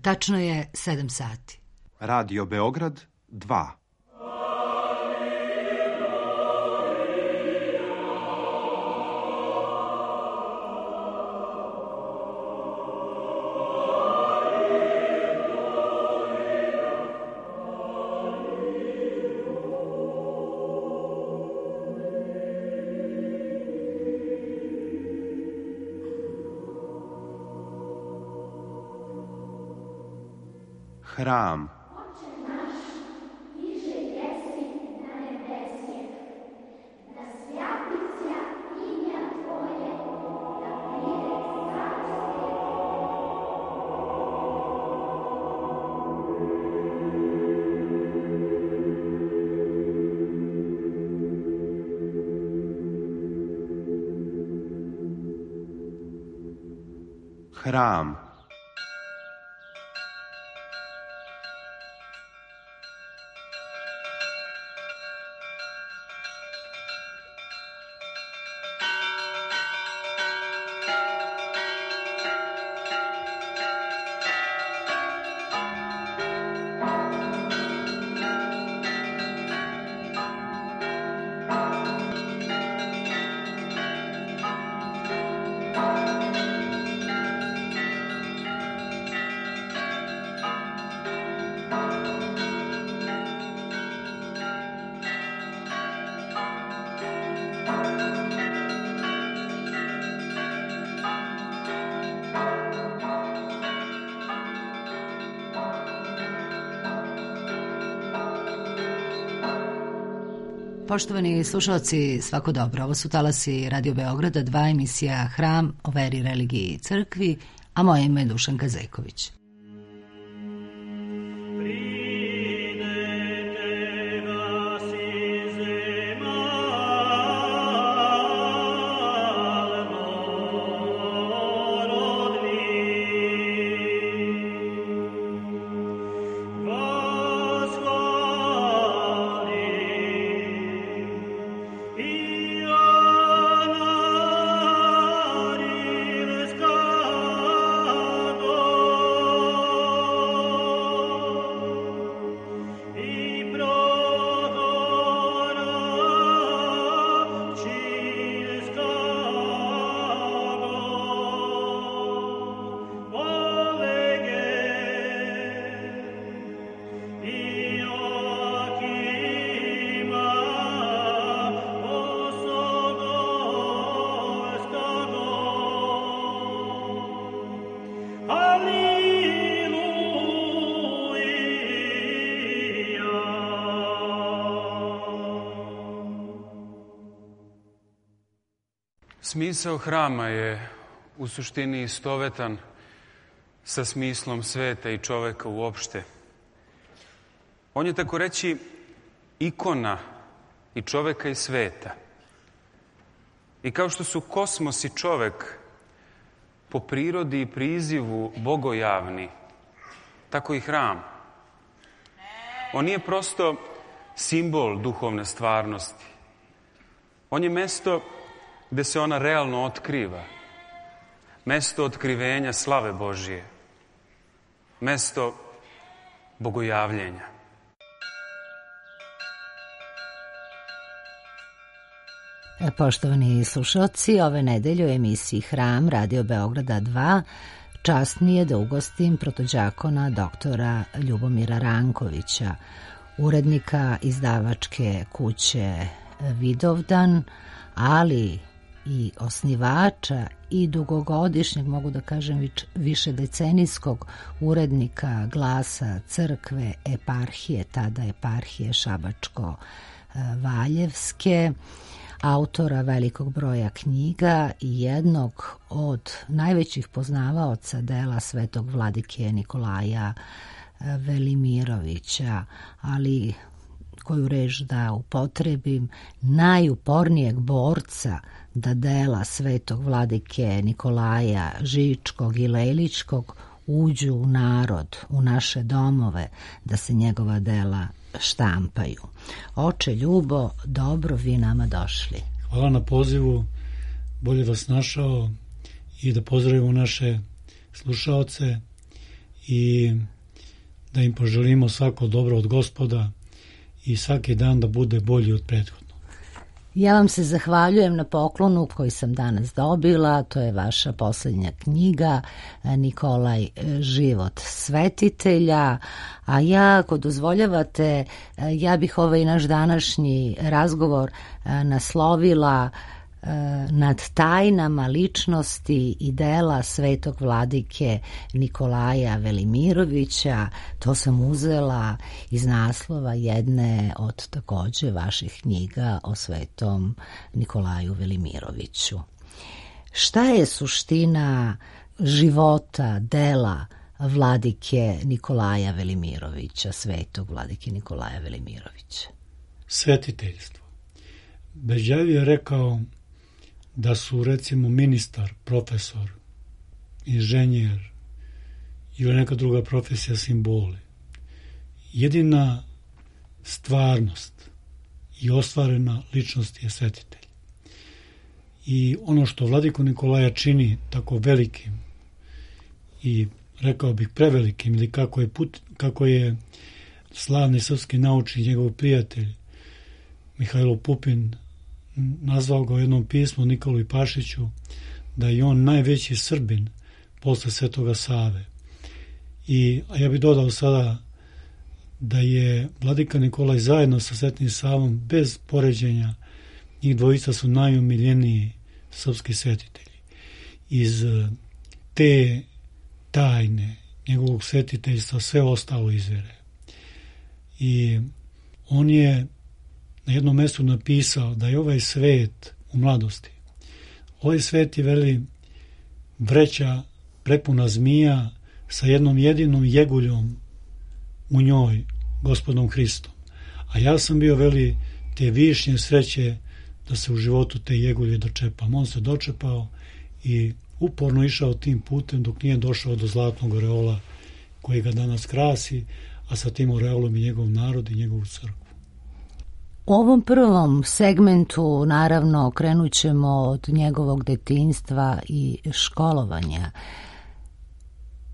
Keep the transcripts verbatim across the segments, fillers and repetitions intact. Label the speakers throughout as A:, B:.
A: Tačno je sedam sati.
B: Radio Beograd dva. Hram. Hram.
A: Poštovani slušalci, svako dobro. Ovo su talasi Radio Beograda, dva, emisija Hram o veri, religiji i crkvi, a moje ime je Dušanka Zeković.
C: Smisao hrama je u suštini istovetan sa smislom sveta i čoveka uopšte. On je, tako reći, ikona i čoveka i sveta. I kao što su kosmos i čovek po prirodi i prizivu bogojavni, tako i hram. On nije prosto simbol duhovne stvarnosti. On je mesto gde se ona realno otkriva. Mesto otkrivenja slave Božije. Mesto bogojavljenja.
A: Poštovani slušalci, ove nedelje u emisiji Hram Radio Beograda dva čast mi je da ugostim protođakona doktora Ljubomira Rankovića, urednika izdavačke kuće Vidovdan, ali i osnivača i dugogodišnjeg, mogu da kažem više decenijskog urednika Glasa crkve eparhije, tada eparhije Šabačko-Valjevske, autora velikog broja knjiga i jednog od najvećih poznavaoca dela svetog vladike Nikolaja Velimirovića, ali koju reč da upotrebim, najupornijeg borca da dela svetog vladike Nikolaja Žičkog i Leličkog uđu u narod, u naše domove, da se njegova dela štampaju. Oče Ljubo, dobro vi nama došli.
D: Hvala na pozivu, bolje vas našao i da pozdravimo naše slušaoce i da im poželimo svako dobro od Gospoda i svaki dan da bude bolji od prethodnog.
A: Ja vam se zahvaljujem na poklonu koji sam danas dobila, to je vaša posljednja knjiga Nikolaj, život svetitelja, a ja, ako dozvoljavate, ja bih ovaj naš današnji razgovor naslovila nad tajnama ličnosti i dela svetog vladike Nikolaja Velimirovića. To sam uzela iz naslova jedne od takođe vaših knjiga o svetom Nikolaju Velimiroviću. Šta je suština života, dela vladike Nikolaja Velimirovića, svetog vladike Nikolaja Velimirovića?
D: Svetiteljstvo. Beđavi je rekao da su, recimo, ministar, profesor, inženjer ili neka druga profesija simboli. Jedina stvarnost i ostvarena ličnost je svetitelj. I ono što vladiku Nikolaja čini tako velikim i, rekao bih, prevelikim, ili kako je, put, kako je slavni srpski naučnik, njegov prijatelj Mihajlo Pupin nazvao ga u jednom pismu Nikoli Pašiću da je on najveći Srbin posle Svetoga Save. I a ja bih dodao sada da je vladika Nikolaj zajedno sa Svetim Savom, bez poređenja, njih dvojica su najomiljeniji srpski svetitelji. Iz te tajne njegovog svetiteljstva sve ostalo izvire. I on je na jednom mjestu napisao da je ovaj svet u mladosti. Ovaj svet je, veli, vreća prepuna zmija sa jednom jedinom jeguljom u njoj, Gospodom Hristom. A ja sam bio, veli, te višnje sreće da se u životu te jegulje dočepam. On se dočepao i uporno išao tim putem dok nije došao do zlatnog oreola koji ga danas krasi, a sa tim oreolom i njegov narod i njegovu crkvu.
A: U ovom prvom segmentu, naravno, krenut ćemo od njegovog detinjstva i školovanja.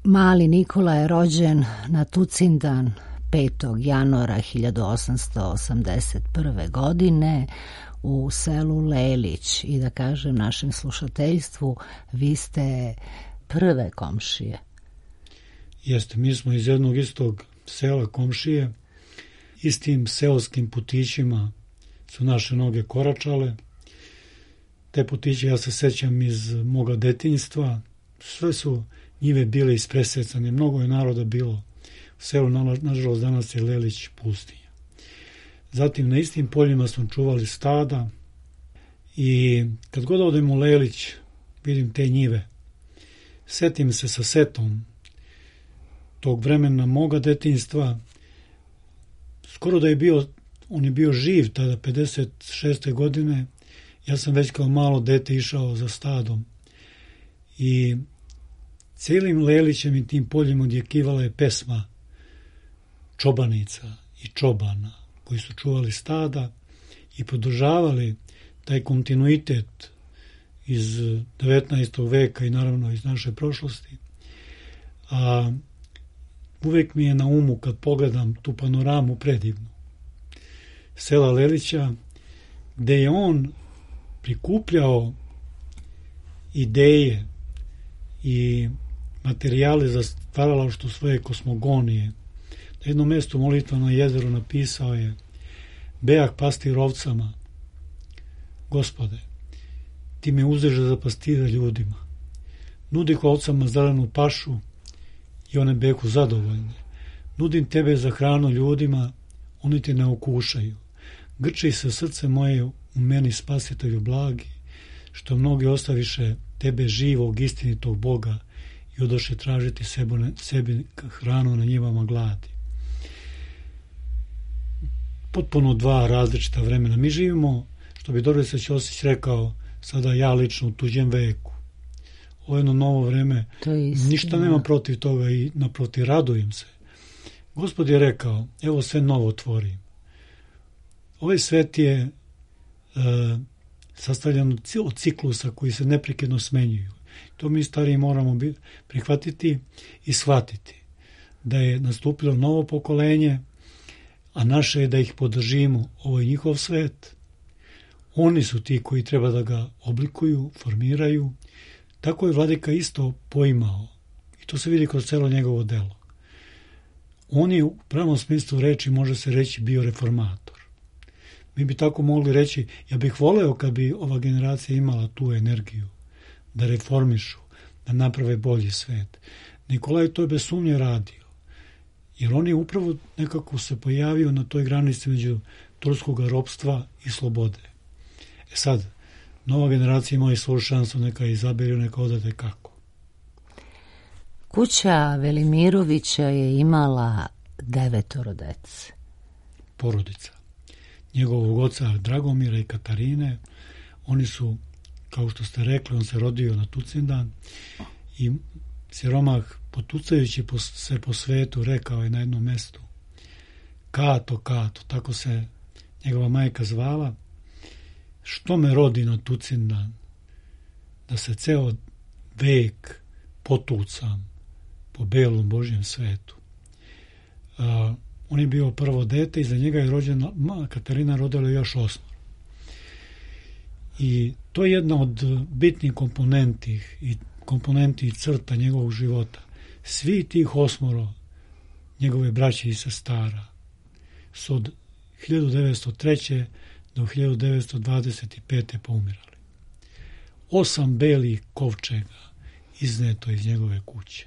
A: Mali Nikola je rođen na Tucindan petog januara hiljadu osamsto osamdeset prve. godine u selu Lelić. I da kažem našem slušateljstvu, vi ste prve komšije.
D: Jeste, mi smo iz jednog istog sela komšije. Istim seoskim putićima su naše noge koračale. Te putiće ja se sećam iz moga detinjstva. Sve su njive bile ispresecane. Mnogo je naroda bilo u selu. Nažalost, danas je Lelić pustinja. Zatim na istim poljima smo čuvali stada i kad god odem u Lelić vidim te njive. Setim se sa setom tog vremena moga detinjstva. Skoro da je bio, on je bio živ tada, pedeset šeste. godine, ja sam već kao malo dete išao za stadom. I cijelim Lelićem i tim poljima odjekivala je pesma čobanica i čobana koji su čuvali stada i podržavali taj kontinuitet iz devetnaestog veka i naravno iz naše prošlosti. A uvek mi je na umu kad pogledam tu panoramu predivnu sela Lelića, gde je on prikupljao ideje i materijale za stvaralaštvo svoje kosmogonije. Na jednom mjestu Molitvano jezero napisao je: Beah pastir ovcama, Gospode, ti me uzeže za pastira ljudima. Nudih ovcama zelenu pašu i one beku zadovoljne. Nudim tebe za hranu ljudima, oni te ne okušaju. Grči se srce moje u meni, spasitelju blagi, što mnogi ostaviše tebe živog, istinitog Boga i odoše tražiti sebi hranu na njivama gladi. Potpuno dva različita vremena. Mi živimo, što bi Dorislav Ćosić rekao, sada ja lično u tuđem veku. Ovo jedno novo vreme, ništa nema protiv toga i naprotiv radujem se. Gospod je rekao, evo sve novo tvorim. Ovaj svet je e, sastavljen od ciklusa koji se neprekidno smenjuju. To mi stariji moramo prihvatiti i shvatiti. da je nastupilo novo pokolenje, a naše je da ih podržimo. Ovo je njihov svet. Oni su ti koji treba da ga oblikuju, formiraju. Tako je vladika isto poimao. I to se vidi kroz celo njegovo delo. On je u pravom smislu reči, može se reći, bio reformator. Mi bi tako mogli reći, ja bih voleo kad bi ova generacija imala tu energiju da reformišu, da naprave bolji svet. Nikolaj to je bez sumnje radio. Jer on je upravo nekako se pojavio na toj granici među turskog ropstva i slobode. E sad, nova generacija ima i svoju šansu, neka izabere, neka odade kako.
A: Kuća Velimirovića je imala devetoro dece.
D: Porodica. Njegovog oca Dragomira i Katarine, oni su, kao što ste rekli, on se rodio na Tucindan i siromah, potucajući se po svetu, rekao je na jednom mestu: Kato, Kato, tako se njegova majka zvala, što me rodi na Tucindan, da se ceo vek potucam po belom Božjem svetu. A, on je bio prvo dete i za njega je rođena, Katarina rodila još osmoro. I to je jedna od bitnih komponenti i komponenti i crta njegovog života. Svi tih osmoro njegove braće i sestara su od hiljadu devetsto treće do hiljadu devetsto dvadeset pete poumirali. Osam belih kovčega izneto iz njegove kuće.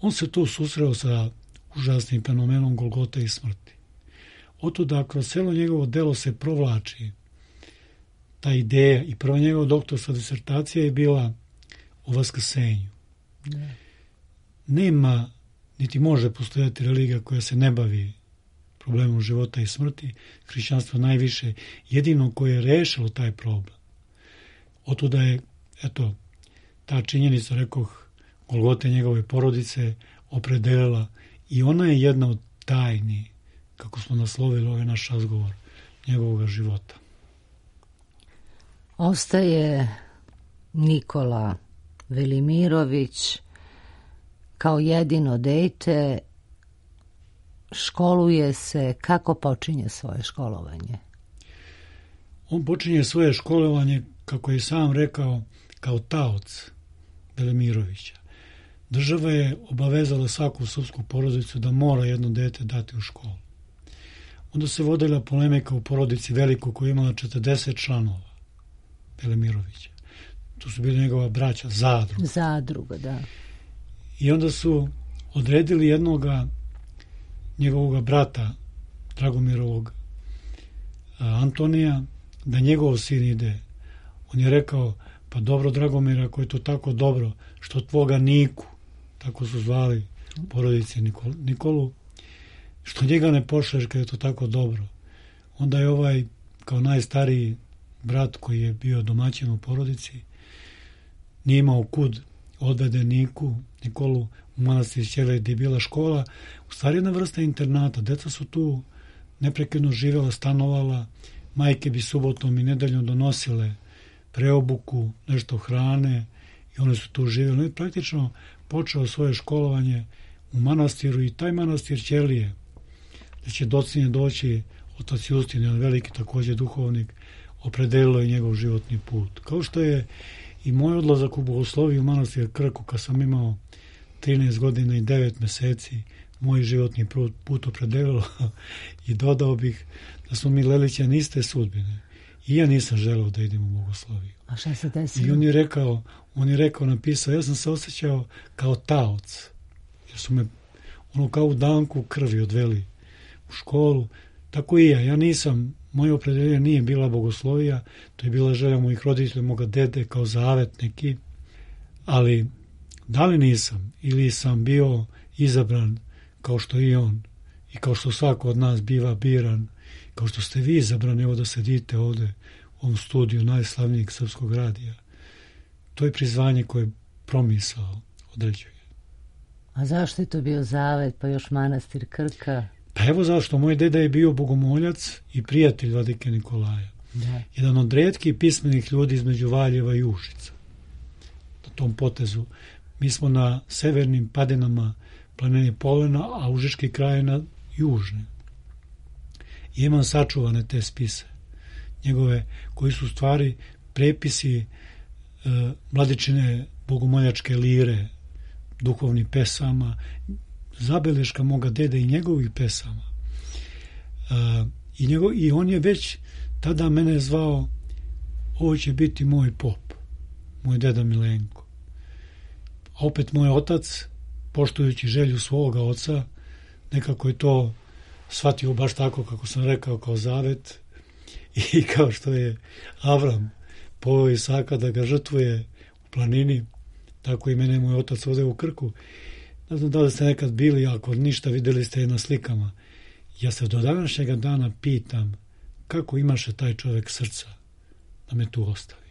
D: On se tu susreo sa užasnim fenomenom Golgote i smrti. Otuda kroz celo njegovo delo se provlači ta ideja i prva njegova doktorska disertacija je bila o vaskrsenju. Ne. Nema, niti može postojati religija koja se ne bavi problemom života i smrti. Hrišćanstvo najviše, jedino koje je rešilo taj problem. Otuda je, eto, ta činjenica, rekoh, Golgote njegove porodice opredelila i ona je jedna od tajni, kako smo naslovili ovaj naš razgovor, njegovog života.
A: Ostaje Nikola Velimirović kao jedino dete, školuje se. Kako počinje svoje školovanje?
D: On počinje svoje školovanje, kako je sam rekao, kao taoc Velimirovića. Država je obavezala svaku srpsku porodicu da mora jedno dete dati u školu. Onda se vodila polemika u porodici Veliko koja je imala četrdeset članova Velimirovića. Tu su bili njegova braća, zadruga.
A: Zadruga, da.
D: I onda su odredili jednoga njegovog brata, Dragomirovog Antonija, da njegov sin ide. On je rekao, pa dobro Dragomir, ako je to tako dobro, što tvoga Niku, tako su zvali porodice Nikolu, Nikolu, što njega ne pošleš kad je to tako dobro. Onda je ovaj, kao najstariji brat koji je bio domaćin u porodici, nije imao kud odvede Niku, Nikolu u manastir Ćelej gdje je bila škola, u stvari jedna vrsta internata. Deca su tu neprekidno živjela, stanovala, majke bi subotom i nedeljom donosile preobuku, nešto hrane i one su tu živjeli. On je praktično počeo svoje školovanje u manastiru i taj manastir Ćelije, gdje će docinje doći otac Justin, jedan veliki također duhovnik, opredelilo je njegov životni put. Kao što je i moj odlazak u bogosloviju u manastir Krku, kad sam imao trinaest godina i devet meseci, moj životni put opredelilo i dodao bih da smo mi Lelićani iste sudbine. I ja nisam želeo da idem u bogosloviju.
A: A šta se desilo?
D: I on je rekao, on je rekao, napisao, ja sam se osjećao kao taoc, jer su me ono kao u danku krvi odveli u školu. Tako i ja, ja nisam, moje opredeljenje nije bila bogoslovija, to je bila želja mojih roditelja, moga dede, kao zavet neki, ali da li nisam ili sam bio izabran kao što i on i kao što svako od nas biva biran, kao što ste vi izabrani, evo da sedite ovde u ovom studiju najslavnijeg srpskog radija. To je prizvanje koje promisao određuje.
A: A zašto je to bio zavet, pa još manastir Krka?
D: Pa evo zašto. Moj deda je bio bogomoljac i prijatelj vladike Nikolaja.
A: Da.
D: Jedan od retkih pismenih ljudi između Valjeva i Užica. Na tom potezu Mi smo na severnim padinama planine Polena, a Užički kraj je na južni. I imam sačuvane te spise, njegove, koji su stvari prepisi e, Mladičine bogomoljačke lire, duhovnih pesama, zabeleška moga dede i njegovih pesama. E, i, njegov, I on je već tada mene zvao, ovo će biti moj pop, moj deda Milenko. A opet moj otac, poštujući želju svoga oca, nekako je to shvatio baš tako kako sam rekao, kao zavet, i kao što je Avram poveo Isaka da ga žrtvuje u planini, tako i mene moj otac ovde u Krku. Ne znam da li ste nekad bili, ako ništa videli ste je na slikama. Ja se do današnjega dana pitam kako imaše taj čovjek srca da me tu ostavi.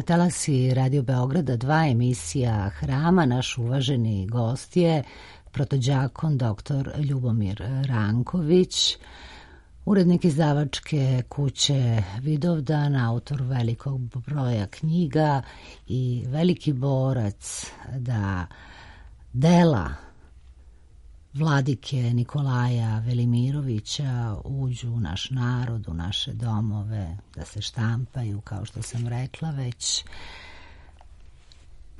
A: Talasi Radio Beograda dva, emisija Hrama. Naš uvaženi gost je protođakon doktor Ljubomir Ranković, urednik izdavačke kuće Vidovdan, autor velikog broja knjiga i veliki borac da dela vladike Nikolaja Velimirovića uđu u naš narod, u naše domove, da se štampaju, kao što sam rekla već.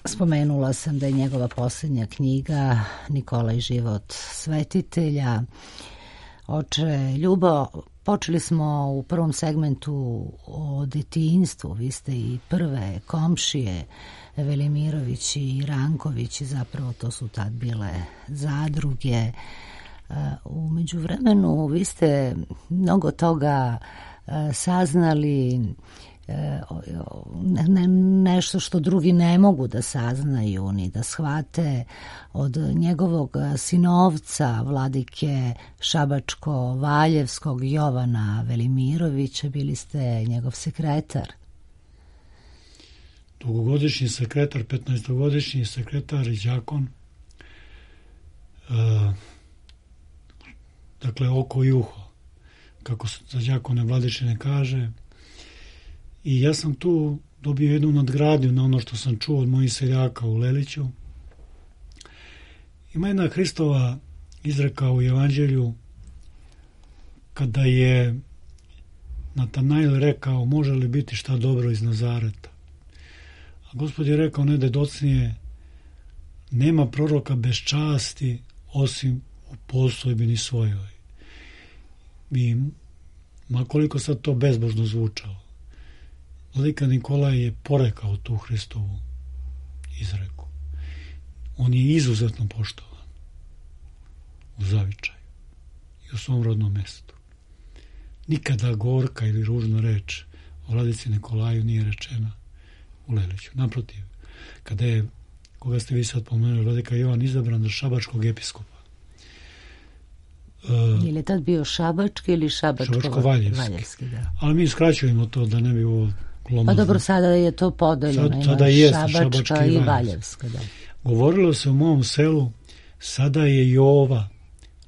A: Spomenula sam da je njegova posljednja knjiga Nikolaj život svetitelja. Oče Ljubo, počeli smo u prvom segmentu o detinjstvu. Vi ste i prve komšije Velimirović i Ranković, zapravo to su tad bile zadruge. U međuvremenu vi ste mnogo toga saznali, ne, nešto što drugi ne mogu da saznaju ni da shvate od njegovog sinovca vladike Šabačko-Valjevskog Jovana Velimirovića. Bili ste njegov sekretar.
D: Dugogodišnji sekretar, petnaestogodišnji sekretar i đakon, e, dakle oko i uho, kako se za đakone Vladičine kaže. I ja sam tu dobio jednu nadgradnju na ono što sam čuo od mojih seljaka u Leliću. Ima jedna Hristova izreka u Evanđelju kada je Natanail rekao, može li biti šta dobro iz Nazareta? A Gospod je rekao nededocnije, nema proroka bez časti osim u postojbini svojoj. I makoliko sad to bezbožno zvučalo, vladika Nikolaj je porekao tu Hristovu izreku. On je izuzetno poštovan u zavičaju i u svom rodnom mestu. Nikada gorka ili ružna reč o vladici Nikolaju nije rečena u Leliću. Naprotiv, kada je, koga ste vi sad pomenuli, vladika Jovan izabran za šabačkog episkopa.
A: Uh, je li tad bio šabački ili šabačko-valjevski? Da.
D: Ali mi skraćujemo to da ne bi ovo glomazno.
A: Pa dobro, sada je to podeljeno.
D: Sad, sada je
A: šabačka i valjevska. Da.
D: Govorilo se u mom selu, sada je Jova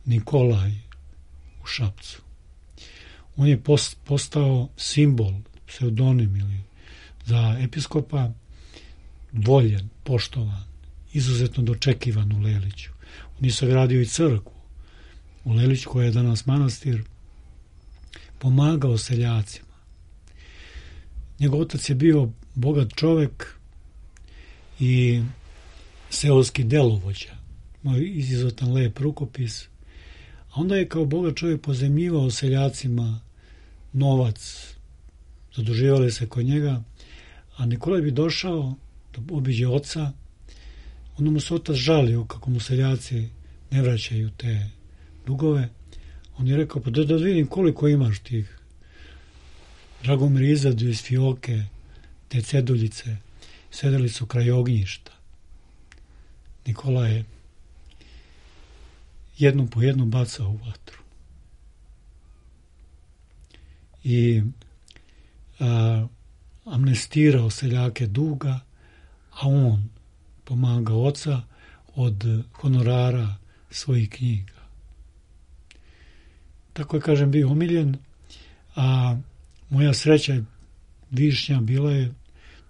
D: Nikolaj u Šapcu. On je postao simbol pseudonim ili za episkopa, voljen, poštovan, izuzetno dočekivan u Leliću. On je sagradio i crkvu u Leliću, koja je danas manastir, pomagao seljacima. Njegov otac je bio bogat čovek i seoski delovođa, moj izuzetan lep rukopis, a onda je kao bogat čovjek pozemljivao seljacima novac, zaduživali se kod njega, a Nikolaj bi došao da obiđe oca, onda mu se otac žalio kako mu seljaci ne vraćaju te dugove. On je rekao, pa da, da vidim koliko imaš tih. Dragomir izadio iz fioke te ceduljice, sedeli su kraj ognjišta. Nikola je jednu po jednu bacao u vatru. I a, amnestirao seljake duga, a on pomagao oca od honorara svojih knjiga. Tako je, kažem, bio omiljen, a moja sreća višnja bila je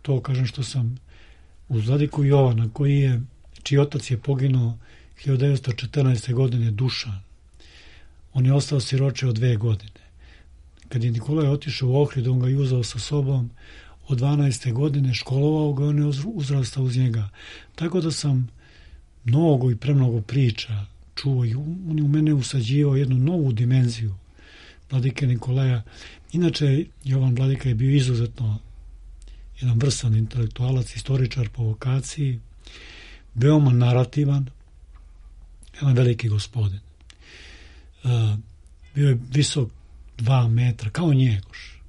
D: to, kažem, što sam uz vladiku Jovana, koji je, čiji otac je poginuo hiljadu devetsto četrnaeste. godine, Dušan. On je ostao siroče od dve godine. Kad je Nikolaj otišao u Ohrid, on ga je uzao sa sobom od dvanaeste. godine, školovao ga, on je uzrastao uz njega. Tako da sam mnogo i premnogo priča čuo i on je u mene usađivao jednu novu dimenziju vladike Nikolaja. Inače, Jovan Vladika je bio izuzetno jedan vrsan intelektualac, istoričar po vokaciji, veoma narativan, jedan veliki gospodin. Uh, bio je visok dva metra, kao Njegoš.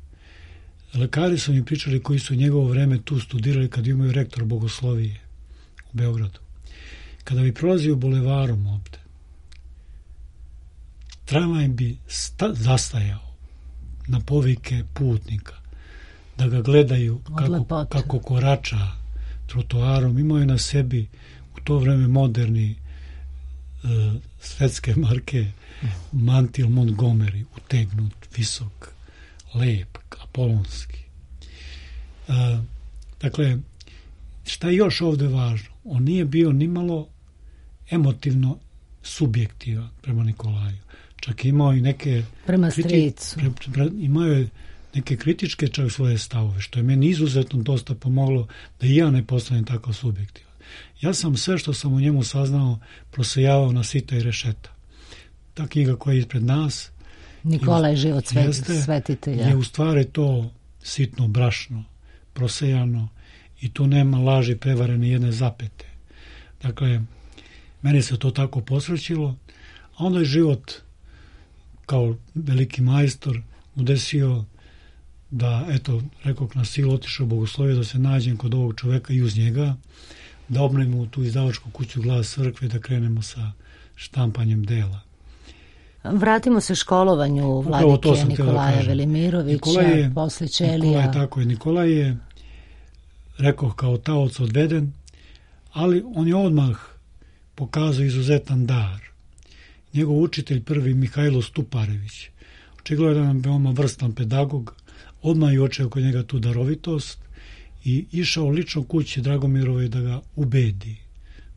D: Lekari su mi pričali koji su njegovo vreme tu studirali kad imaju rektor bogoslovije u Beogradu. Kada bi prolazio bulevarom ovde, tramvaj bi sta- zastajao na povike putnika, da ga gledaju kako, kako korača trotoarom. Imao je na sebi u to vreme moderni uh, svetske marke mantil Montgomery, utegnut, visok, lep, apolonski. Uh, dakle, šta je još ovde važno? On nije bio nimalo emotivno subjektivan prema Nikolaju. Čak imao i neke
A: prema
D: kriti,
A: stricu.
D: Pre, pre, imao je neke kritičke čak svoje stavove, što je meni izuzetno dosta pomoglo da i ja ne postanem tako subjektivan. Ja sam sve što sam u njemu saznao prosejavao na sita i rešeta. Ta knjiga koja je ispred nas,
A: Nikolaj život sveti, svetitelja,
D: je u stvari to sitno brašno, prosejano, i tu nema laži, prevare ni jedne zapete. Dakle, meni se to tako posrećilo, a onda je život kao veliki majstor udesio da, eto, rekao na silu otišao bogoslovije, da se nađem kod ovog čoveka i uz njega, da obnovimo tu izdavačku kuću Glas crkve, da krenemo sa štampanjem dela.
A: Vratimo se školovanju vladike Nikolaja
D: da
A: Velimirovića,
D: Nikolaj je,
A: posle Ćelija.
D: Nikolaj, tako je, Nikolaj je, rekao, kao taoc odveden, ali on je odmah pokazao izuzetan dar. Njegov učitelj prvi, Mihajlo Stuparević, očigledno je jedan veoma vrstan pedagog, odmah je očeo kod njega tu darovitost i išao lično kući Dragomirove da ga ubedi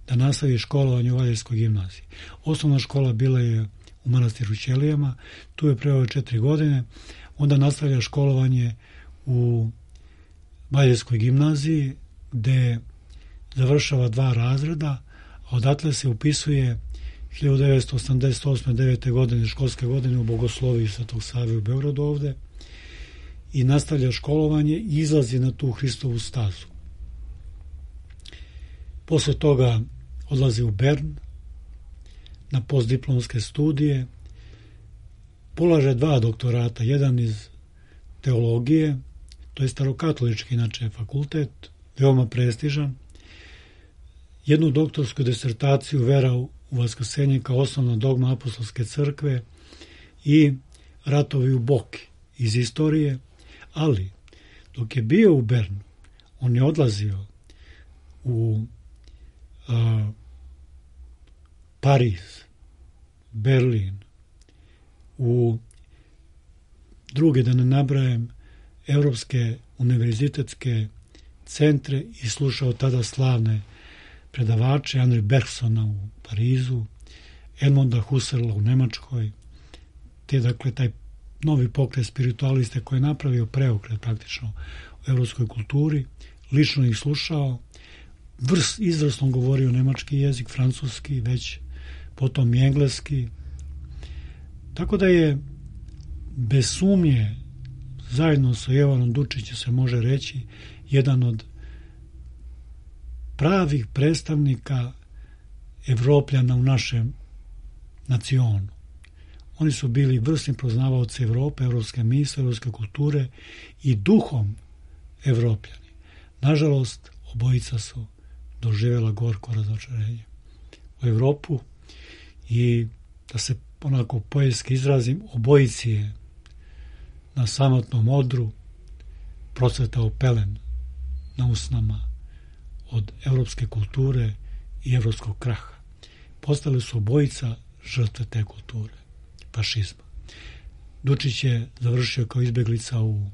D: da nastavi školovanje u Valjevskoj gimnaziji. Osnovna škola bila je u manastiru Ćelijama, tu je preveo četiri godine, onda nastavlja školovanje u Valjevskoj gimnaziji, gde završava dva razreda, a odatle se upisuje hiljadu devetsto osamdeset osme devete. godine, školske godine, u Bogosloviji Svetog Save u Beogradu ovde, i nastavlja školovanje i izlazi na tu Hristovu stazu. Posle toga odlazi u Bern na postdiplomske studije, polaže dva doktorata, jedan iz teologije, to je starokatolički inače fakultet, veoma prestižan, jednu doktorsku disertaciju Vera u vaskrsenje kao osnovna dogma apostolske crkve i ratovi u Boki iz istorije, ali dok je bio u Bernu, on je odlazio u a, Pariz, Berlin, u druge, da ne nabrajem, evropske univerzitetske centre i slušao tada slavne predavače, Henri Bergsona u Parizu, Edmunda Husserla u Nemačkoj, te dakle taj novi pokret spiritualiste koji je napravio preokret praktično u evropskoj kulturi, lično ih slušao, vrst izvrsno govorio nemački jezik, francuski, već potom i engleski. Tako da je bez sumnje zajedno sa Jovanom Dučićem se može reći jedan od pravih predstavnika Evropljana u našem nacionu. Oni su bili vrsni poznavaoci Evrope, evropske misle, evropske kulture i duhom Evropljani. Nažalost, obojica su doživjela gorko razočarenje u Evropu i da se onako poetski izrazim, obojici je na samotnom odru procvetao pelen na usnama od evropske kulture i evropskog kraha. Postali su obojica žrtve te kulture, fašizma. Dučić je završio kao izbeglica u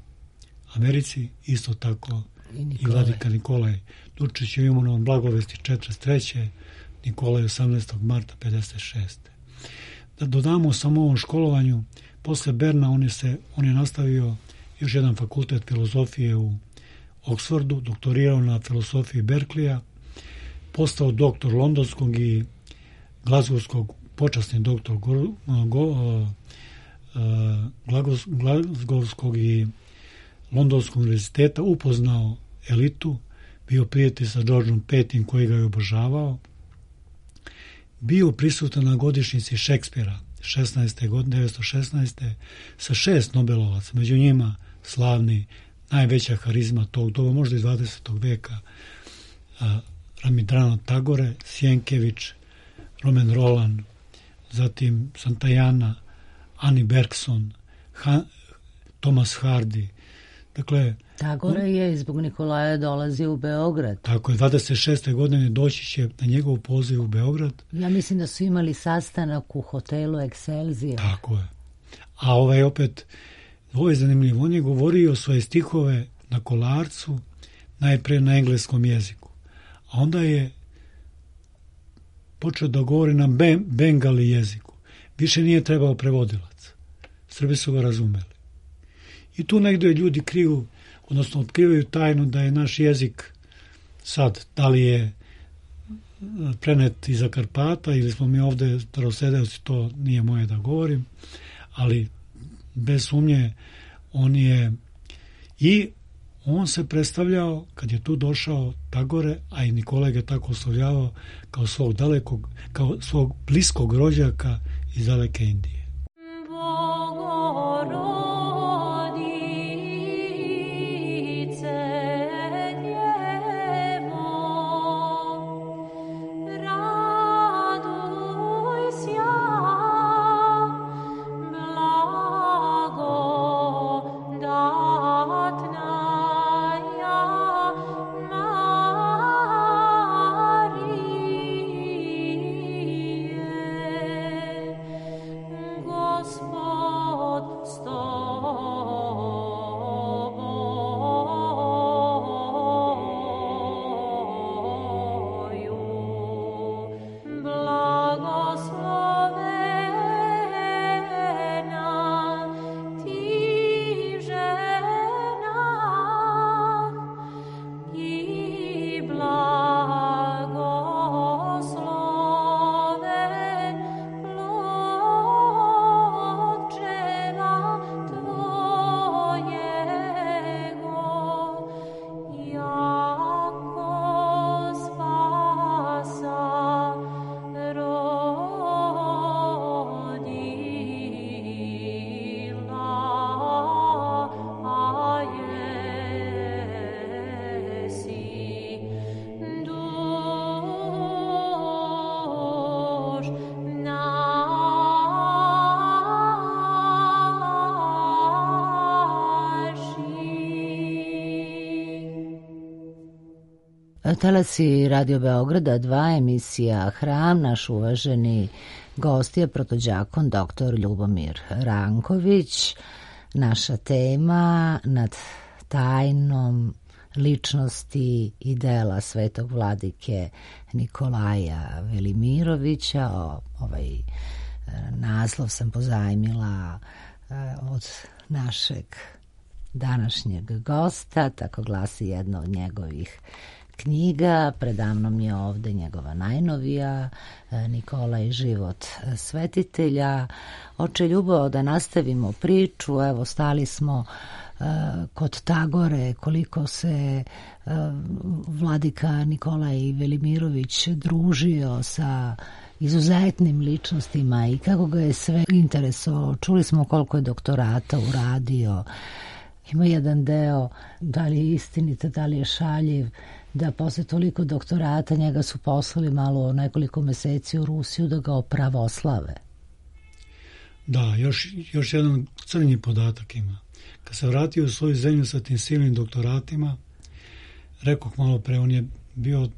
D: Americi, isto tako i, i vladika Nikolaj. Dučić je imenovan Blagovesti četrdeset treće Nikolaj osamnaestog marta pedeset šeste Da dodamo samo ovom školovanju, posle Berna on je, se, on je nastavio još jedan fakultet filozofije u Oksfordu, doktorirao na filosofiji Berkleya, postao doktor londonskog i glazgovskog, počasni doktor go, go, uh, glazgovskog i londonskog univerziteta, upoznao elitu, bio prijatelj sa Georgeom Petim koji ga je obožavao, bio prisutan na godišnjici Šekspira šesnaeste godine, devetsto šesnaeste sa šest Nobelovaca, među njima slavni, najveća harizma tog doba, možda iz dvadesetog veka, Rabindranath Tagore, Sienkiewicz, Romain Rolland, zatim Santayana, Annie Bergson, Han, Thomas Hardy. Dakle,
A: Tagore je zbog Nikolaja dolazio u Beograd.
D: Tako je, dvadeset šeste godine doći će na njegov poziv u Beograd.
A: Ja mislim da su imali sastanak u hotelu Excelsior.
D: Tako je. A ovaj opet, ovo je zanimljivo, on je govorio svoje stihove na Kolarcu, najpre na engleskom jeziku. A onda je počeo da govori na ben, bengali jeziku. Više nije trebao prevodilac. Srbi su ga razumeli. I tu negdje ljudi kriju, odnosno otkrivaju tajnu da je naš jezik sad, da li je prenet iza Karpata ili smo mi ovdje starosedeoci, to nije moje da govorim, ali bez sumnje on je i on se predstavljao, kad je tu došao Tagore, a i Nikolaj ga tako oslovljavao kao svog dalekog, kao svog bliskog rođaka iz daleke Indije.
A: Talasi Radio Beograda dva, emisija Hram, naš uvaženi gost je protođakon doktor Ljubomir Ranković. naša tema nad tajnom ličnosti i dela svetog vladike Nikolaja Velimirovića. O, ovaj naslov sam pozajmila od našeg današnjeg gosta, tako glasi jedna od njegovih knjiga. Predamnom je ovde njegova najnovija, Nikola i život svetitelja. Oče Ljubo, da nastavimo priču, evo stali smo uh, kod Tagore, koliko se uh, vladika Nikolaj Velimirović družio sa izuzetnim ličnostima i kako ga je sve interesovalo. Čuli smo koliko je doktorata uradio. Ima jedan deo, da li je istinite, da li je šaljiv, da posle toliko doktorata njega su poslali malo nekoliko meseci u Rusiju da ga opravoslave.
D: Da, još, još jedan crnji podatak ima. Kad se vratio u svoju zemlju sa tim silnim doktoratima, rekoh malo pre, on je bio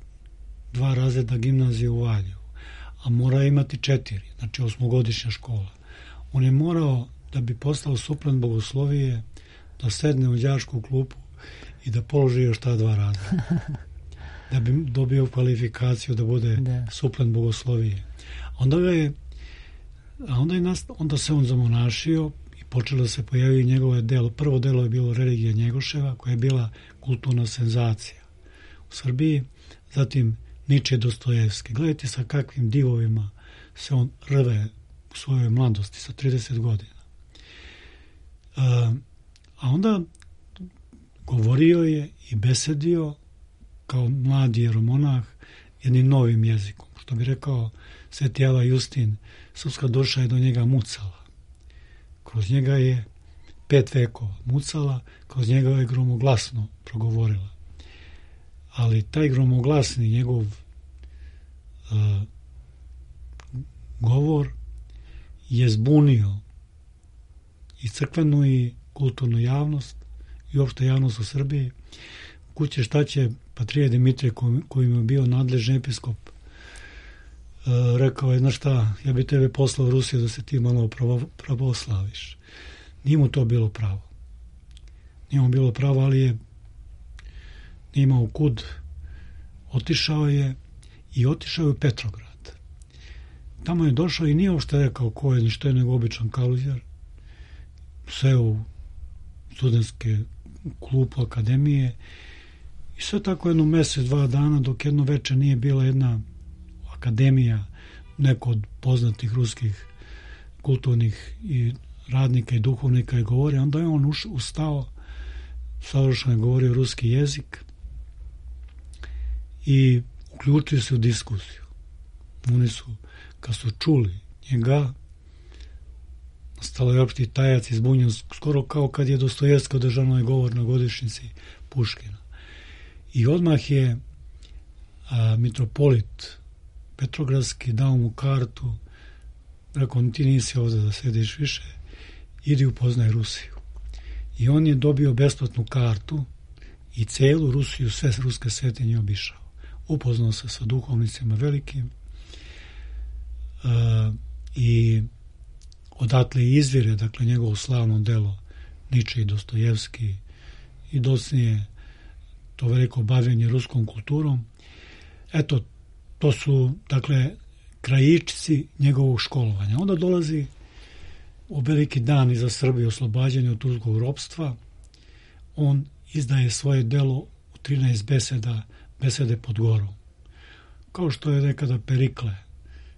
D: dva razreda gimnazije u Valju, a mora imati četiri, znači osmogodišnja škola. On je morao, da bi postao suplent bogoslovije, da sedne u đačku klupu i da položi još ta dva razreda. Da bi dobio kvalifikaciju da bude da. suplent bogoslovije. Onda ga je, a onda, je nast, onda se on zamonašio i počelo se pojaviti njegove delo. Prvo delo je bilo Religija Njegoševa, koja je bila kulturna senzacija u Srbiji. Zatim Niče Dostojevski. Gledajte sa kakvim divovima se on rve u svojoj mladosti sa trideset godina. A, a onda govorio je i besedio kao mladi jeromonah jednim novim jezikom. Što bi rekao Sveti Ava Justin, srpska duša je do njega mucala. Kroz njega je pet vekova mucala, kroz njega je gromoglasno progovorila. Ali taj gromoglasni njegov uh, govor je zbunio i crkvenu i kulturnu javnost i uopšte javnost u Srbiji. Kuće šta će Patrije Dimitrije, kojim je bio nadležni episkop, uh, rekao je, znaš šta, ja bi tebe poslao u Rusiju da se ti malo pravoslaviš. Nije mu to bilo pravo. Nije mu bilo pravo, ali je nije imao kud. Otišao je i otišao je u Petrograd. Tamo je došao i nije uopšte rekao ko je, ništa je nego običan kaluđer. Sve u studentske klupu akademije i sve tako jedno mesec, dva dana, dok jedno veče nije bila jedna akademija, neko od poznatih ruskih kulturnih i radnika i duhovnika je govorio, onda je on uš, ustao, savršeno je govorio ruski jezik i uključio se u diskusiju. Oni su, kad su čuli njega, stalo je opšti tajac i zbunjen, skoro kao kad je Dostojevski održao onaj govor na godišnjici Puškina. I odmah je a, mitropolit Petrogradski dao mu kartu, rekao, ti nisi ovdje da sediš više, idi upoznaj Rusiju. I on je dobio besplatnu kartu i celu Rusiju, sve ruske svetinje obišao. Upoznao se sa duhovnicima velikim uh, i odatle izvire, dakle, njegovo slavno delo Niče i Dostojevski i docnije to veliko bavljenje ruskom kulturom. Eto, to su, dakle, krajičci njegovog školovanja. Onda dolazi u veliki dan iza Srbije, oslobađanje od turskog ropstva. On izdaje svoje delo u trinaest beseda, besede pod gorom. Kao što je nekada Perikle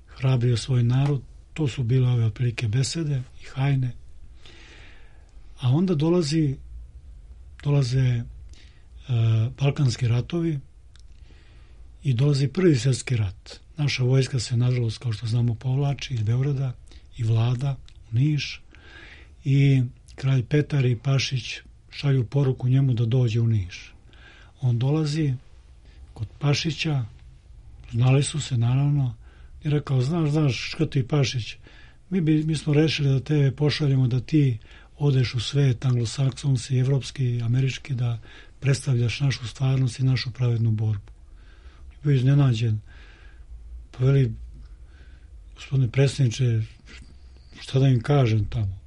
D: hrabrio svoj narod, to su bile ove otprilike besede i hajne. A onda dolazi, dolaze uh, Balkanski ratovi i dolazi Prvi svjetski rat. Naša vojska se, nažalost, kao što znamo, povlači iz Beograda i vlada u Niš i kralj Petar i Pašić šalju poruku njemu da dođe u Niš. On dolazi kod Pašića, znali su se naravno, i rekao, znaš, znaš, Škrti i Pašić, mi, bi, mi smo rešili da tebe pošaljemo da ti odeš u svet, anglosaksonski, evropski, američki, da predstavljaš našu stvarnost i našu pravednu borbu. Bio iznenađen. Pa veli, gospodine predsjedniče, šta da im kažem tamo?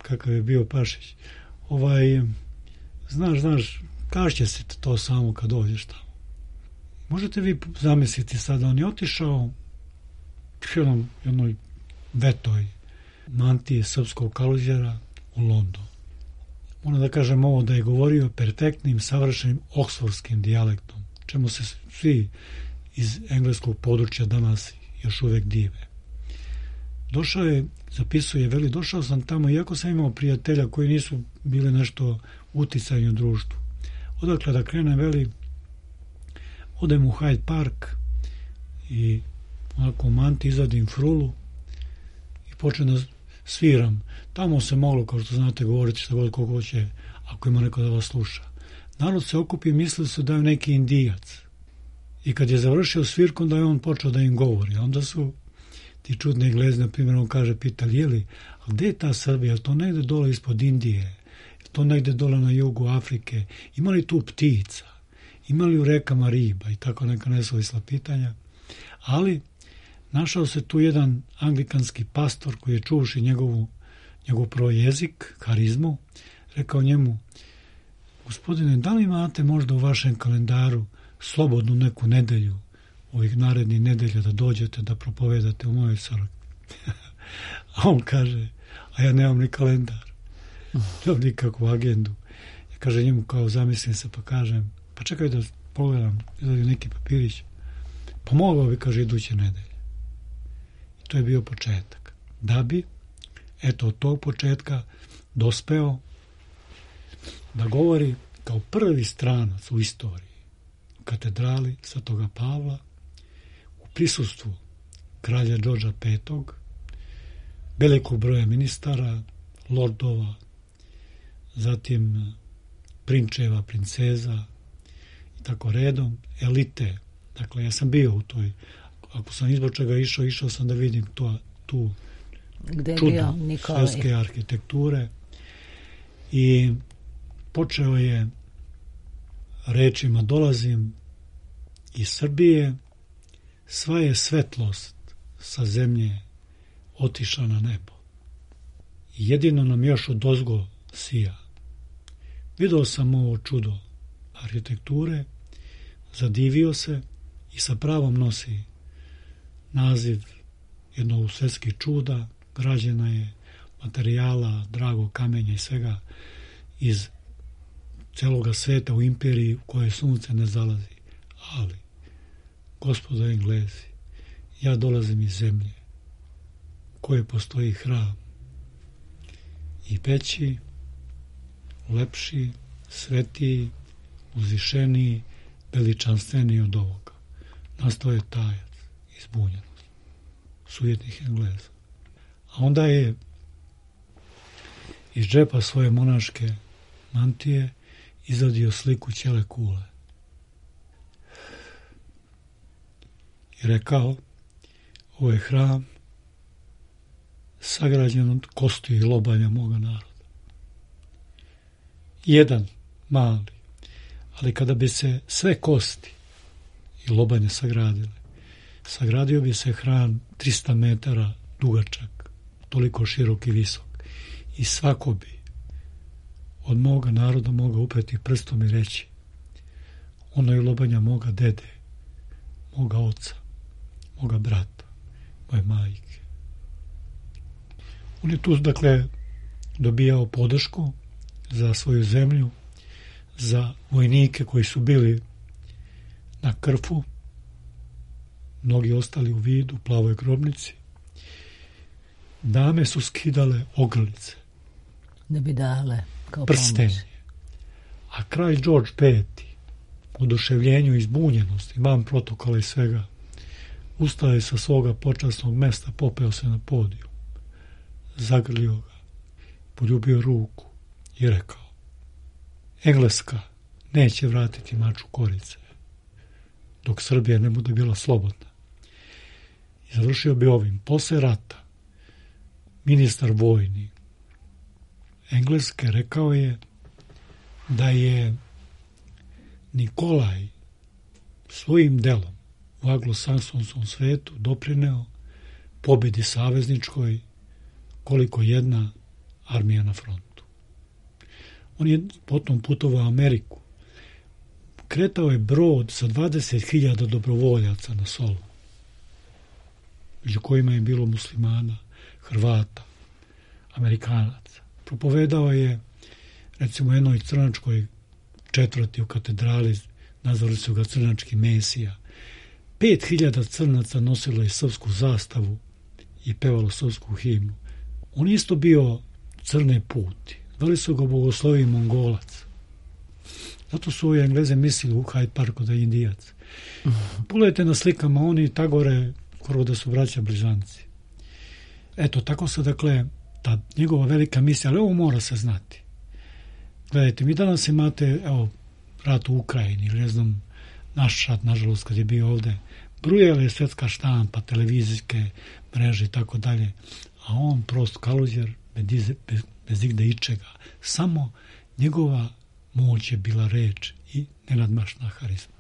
D: kakav je bio Pašić. Ovaj, znaš, znaš, kaži će se to samo kad dođeš tamo. Možete vi zamisliti sada, on je otišao u jednom, jednoj vetoj mantiji srpskog kaluđera u London. Moram da kažem ovo, da je govorio perfektnim, savršenim oksfordskim dijalektom, čemu se svi iz engleskog područja danas još uvek dive. Došao je, zapisuje, veli, došao sam tamo, iako sam imao prijatelja koji nisu bili nešto uticajni u društvu. Odakle da krenem, veli, odem u Hyde Park i onako u manti izadim frulu i počnem da sviram. Tamo se moglo, kao što znate, govoriti šta god koliko će, ako ima neko da vas sluša. Narod se okupi i mislili su da je neki Indijac. I kad je završio svirku, onda je on počeo da im govori. Onda su ti čudni Englezi, na primjer, on kaže, pitali, jeli, a gde je ta Srbija? Je to negde dole ispod Indije? Je to negde dole na jugu Afrike? Ima li tu ptica? Ima li u rekama riba? I tako neka nesuvisla pitanja. Ali našao se tu jedan anglikanski pastor koji je čuvši njegovu, njegov prvo jezik, karizmu, rekao njemu, gospodine, da li imate možda u vašem kalendaru slobodnu neku nedelju, ovih narednih nedelja da dođete da propovedate u mojoj crkvi? A on kaže, a ja nemam ni kalendar, nemam nikakvu agendu. Ja kaže njemu, kao zamislim se, pa kažem, pa čekaj da pogledam, izgleda neki papirić, pa mogao bi, kaže, iduće nedelje. I to je bio početak. Da bi, eto, od tog početka dospeo da govori kao prvi stranac u istoriji u katedrali Svetoga Pavla, u prisustvu kralja Đorđa petog, velikog broja ministara, lordova, zatim prinčeva, princeza i tako redom, elite. Dakle, ja sam bio u toj, ako sam izbog čega išao, išao sam da vidim to, tu čudo svjetske arhitekture. I počeo je rečima, dolazim iz Srbije, sva je svetlost sa zemlje otišla na nebo. I jedino nam još odozgo sija. Video sam ovo čudo arhitekture, zadivio se i sa pravom nosi naziv jednog svetskih čuda, građena je materijala, dragog kamenja i svega iz celoga sveta u imperiji u kojoj sunce ne zalazi. Ali, gospodo Englezi, ja dolazim iz zemlje u kojoj postoji hram i veći, lepši, svetiji, uzvišeniji, veličanstveniji od ovoga. Nastao je tajac i zbunjenost sujetnih Engleza. A onda je iz džepa svoje monaške mantije izvadio sliku ćele kule i rekao, ovo je hram sagrađen od kosti i lobanja moga naroda. Jedan mali, ali kada bi se sve kosti i lobanje sagradile, sagradio bi se hram trista metara dugačak, toliko širok i visok. I svako bi od moga naroda mogao upeti prstom i reći, ono je lobanja moga dede, moga oca, moga brata, moje majke. On je tu, dakle, dobijao podršku za svoju zemlju, za vojnike koji su bili na Krfu, mnogi ostali u Vidu, Plavoj grobnici. Dame su skidale ogrlice,
A: da bi dale kao
D: prstenje.
A: pomoć.
D: A kralj Đorđ peti, u oduševljenju i zbunjenosti, van protokola i svega, ustao je sa svoga počasnog mesta, popeo se na podijum, zagrlio ga, poljubio ruku i rekao, Engleska neće vratiti maču korice, dok Srbija ne bude bila slobodna. I završio bi ovim, posle rata, ministar vojni Engleske rekao je da je Nikolaj svojim delom u anglosaksonskom svetu doprineo pobedi savezničkoj koliko jedna armija na frontu. On je potom putovao u Ameriku. Kretao je brod sa dvadeset hiljada dobrovoljaca na Solu, među kojima je bilo muslimana, Hrvata, Amerikanaca. Propovedao je, recimo, jednoj crnačkoj četvrti u katedrali, nazvali su ga crnački Mesija. Pet hiljada crnaca nosilo je srpsku zastavu i pevalo srpsku himnu. On isto bio crne puti. Zvali su ga Bogoslovi Mongolac. Zato su ovi Engleze mislili u Hyde Parku da je Indijac. Pogledajte na slikama, oni tagore skoro da su braća blizanci. Eto, tako se, dakle, ta njegova velika misija, ali ovo mora se znati. Gledajte, mi danas imate, evo, rat u Ukrajini, ili ne znam, naš rat, nažalost, kad je bio ovde, brujala je svetska štampa, televizijske mreže i tako dalje, a on prost kaluđer, bez, bez, bez igde ičega. Samo njegova moć je bila reč i nenadmašna harizma.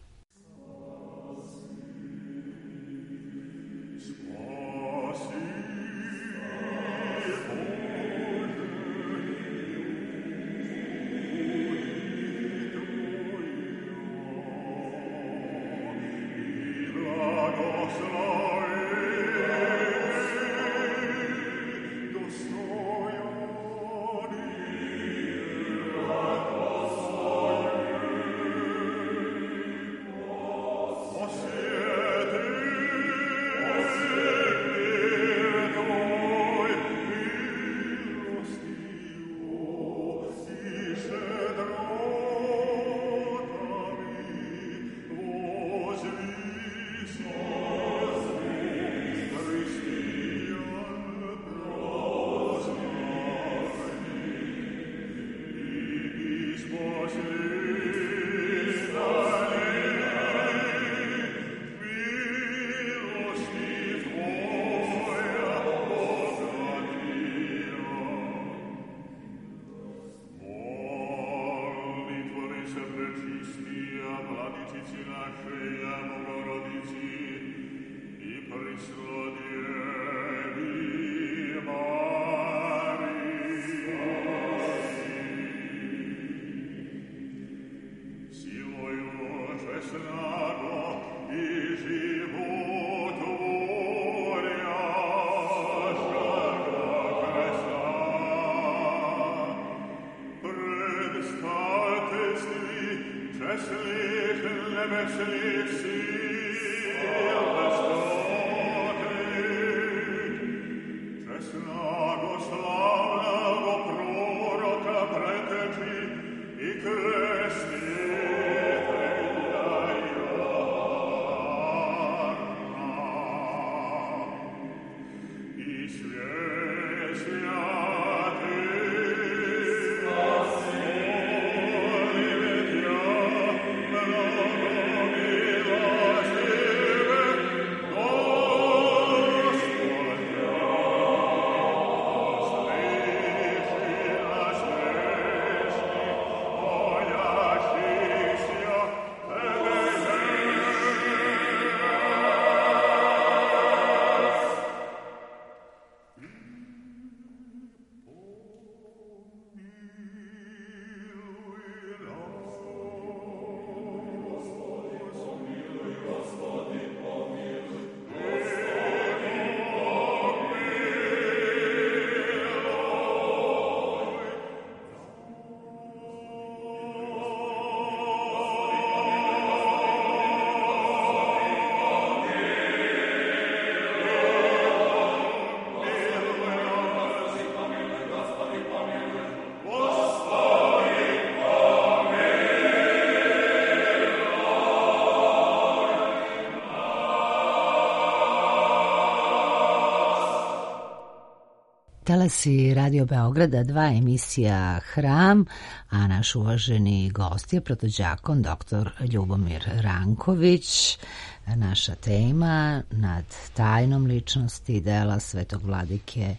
A: Talasi Radio Beograda dva, emisija Hram, a naš uvaženi gost je protođakon doktor Ljubomir Ranković. Naša tema nad tajnom ličnosti dela svetog vladike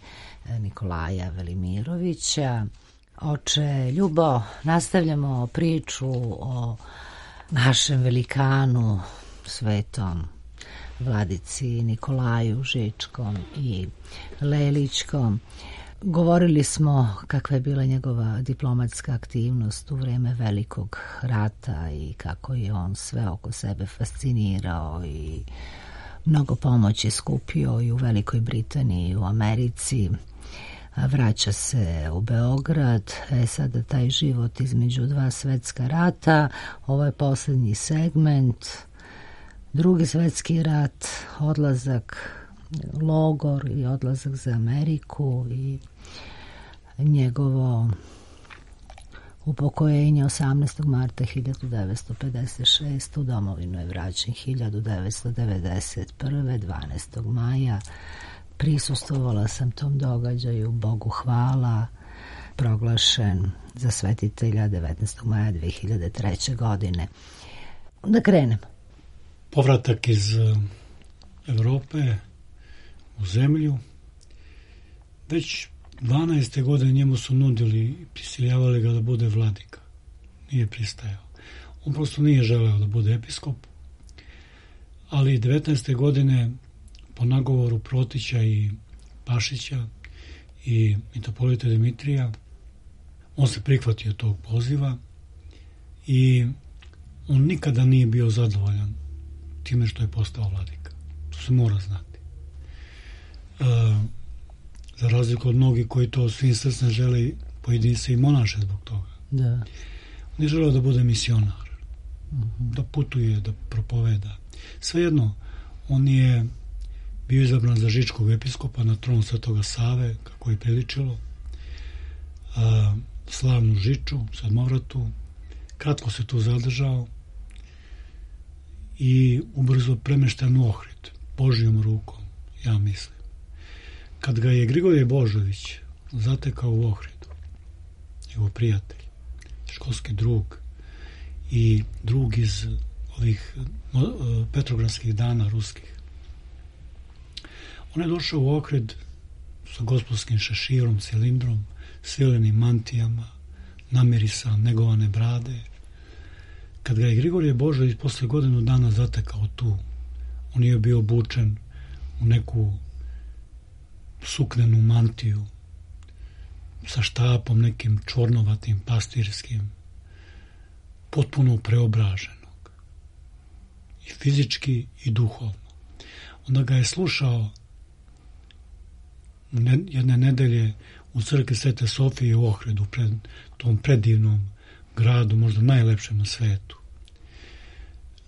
A: Nikolaja Velimirovića. Oče Ljubo, nastavljamo priču o našem velikanu svetom vladici Nikolaju Žičkom i Lelićkom. Govorili smo kakva je bila njegova diplomatska aktivnost u vrijeme Velikog rata i kako je on sve oko sebe fascinirao i mnogo pomoći skupio i u Velikoj Britaniji i u Americi. Vraća se u Beograd, e sada taj život između dva svetska rata, ovo je posljednji segment, drugi svetski rat, odlazak, logor i odlazak za Ameriku i njegovo upokojenje osamnaestog marta hiljadu devetsto pedeset šeste. U domovinu je vraćen hiljadu devetsto devedeset prve. dvanaestog maja. Prisustvovala sam tom događaju, Bogu hvala, proglašen za svetitelja devetnaestog maja dve hiljade treće. godine. Da krenem.
D: Povratak iz Evrope u zemlju. Već dvanaeste godine njemu su nudili i prisiljavali ga da bude vladika. Nije pristajao. On prosto nije želeo da bude episkop, ali devetnaeste godine po nagovoru Protića i Pašića i mitropolita Dimitrija on se prihvatio tog poziva i on nikada nije bio zadovoljan time što je postao vladika. To se mora znati. E, za razliku od mnogih koji to svim srcem žele, pojedini se i monaše zbog toga.
A: Da.
D: On je želeo da bude misionar, mm-hmm. da putuje, da propoveda. Svejedno, on je bio izabran za žičkog episkopa na tron Svetoga Save, kako je priličilo, a, slavnu Žiču, Sedmovratu. Kratko se tu zadržao i ubrzo premešten u Ohrid, Božjom rukom, ja mislim. Kad ga je Grigorije Božović zatekao u Ohridu, njegov prijatelj, školski drug i drug iz ovih petrogradskih dana ruskih, on je došao u Ohrid sa gospodskim šeširom, cilindrom, svilenim mantijama, namirisan, negovane brade. Kad ga je Grigorije Božović posle godinu dana zatekao tu, on je bio obučen u neku suknenu mantiju sa štapom nekim čornovatim, pastirskim, potpuno preobraženog, i fizički i duhovno. Onda ga je slušao jedne nedelje u crkvi Svete Sofije u Ohridu, pred tom predivnom gradu, možda najlepšem na svetu.